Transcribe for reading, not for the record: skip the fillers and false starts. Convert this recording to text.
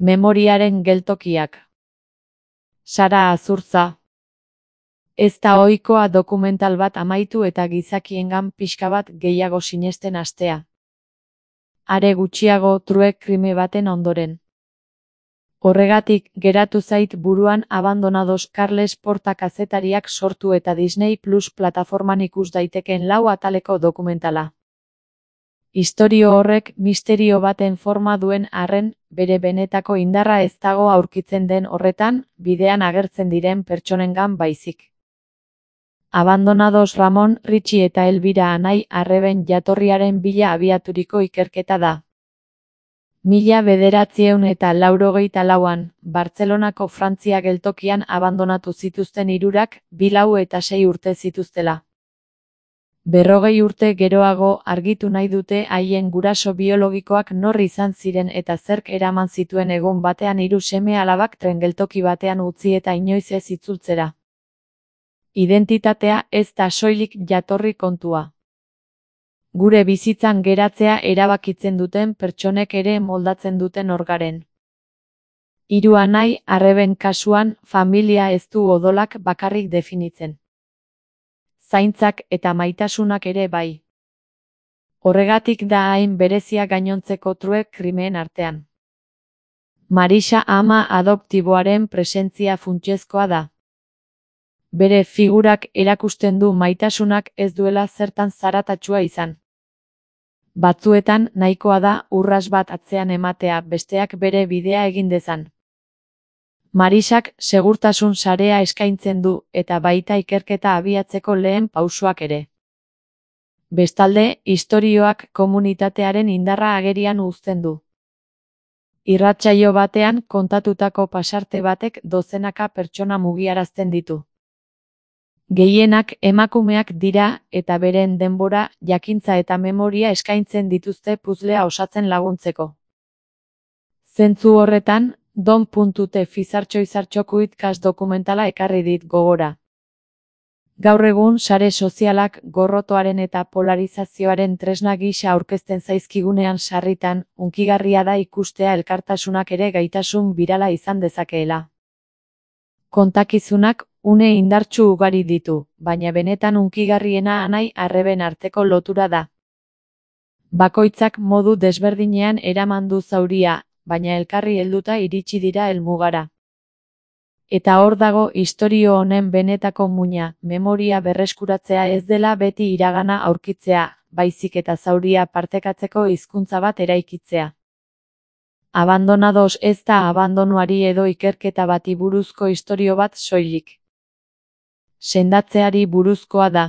Memoriaren geltokiak. Sara Azurtza. Ez da ohikoa dokumental bat amaitu eta gizakiengan pixka bat gehiago sinesten hastea. Are gutxiago true crime baten ondoren. Horregatik, geratu zait buruan Abandonados Carles Porta kazetariak sortu eta Disney Plus plataforman ikus daiteken 4 ataleko dokumentala. Istorio horrek misterio baten forma duen arren, bere benetako indarra ez dago aurkitzen den horretan, bidean agertzen diren pertsonengan baizik. Abandonados Ramon, Richie eta Elvira anai arreben jatorriaren bila abiaturiko ikerketa da. 1984an, Bartzelonako Frantzia geltokian abandonatu zituzten hirurak, 4 eta 6 urte zituztela. 40 urte geroago argitu nahi dute haien guraso biologikoak nor izan ziren eta zerk eraman zituen egun batean 3 seme-alabak tren geltoki batean utzi eta inoiz ez itzultzera. Identitatea ez da soilik jatorri kontua. Gure bizitzan geratzea erabakitzen duten pertsonek ere moldatzen duten orgaren. 3 anai arreben kasuan, familia ez du odolak bakarrik definitzen. Zaintzak eta maitasunak ere bai. Horregatik da hain berezia gainontzeko true krimeen artean. Marisa ama adoptiboaren presentzia funtsezkoa da. Bere figurak erakusten du maitasunak ez duela zertan zaratatsua izan. Batzuetan nahikoa da urras bat atzean ematea besteak bere bidea egin dezan. Marisak segurtasun sarea eskaintzen du eta baita ikerketa abiatzeko lehen pausoak ere. Bestalde, istorioak komunitatearen indarra agerian uzten du. Irratsaio batean kontatutako pasarte batek dozenaka pertsona mugiarazten ditu. Gehienak emakumeak dira eta beren denbora, jakintza eta memoria eskaintzen dituzte puzzlea osatzen laguntzeko. Zentzu horretan, Don.te fizartxoizartxokuitkas dokumentala ekarri dit gogora. Gaur egun sare sozialak gorrotoaren eta polarizazioaren tresna gisa aurkezten zaizkigunean sarritan, hunkigarria da ikustea elkartasunak ere gaitasun birala izan dezakeela. Kontakizunak une indartsu ugari ditu, baina benetan hunkigarriena anai arreben arteko lotura da. Bakoitzak modu desberdinean eraman du zauria, baina elkarri helduta iritsi dira helmugara. Eta hor dago istorio honen benetako muina, memoria berreskuratzea ez dela beti iragana aurkitzea, baizik eta zauria partekatzeko hizkuntza bat eraikitzea. Abandonados ez da abandonuari edo ikerketa bati buruzko istorio bat soilik. Sendatzeari buruzkoa da.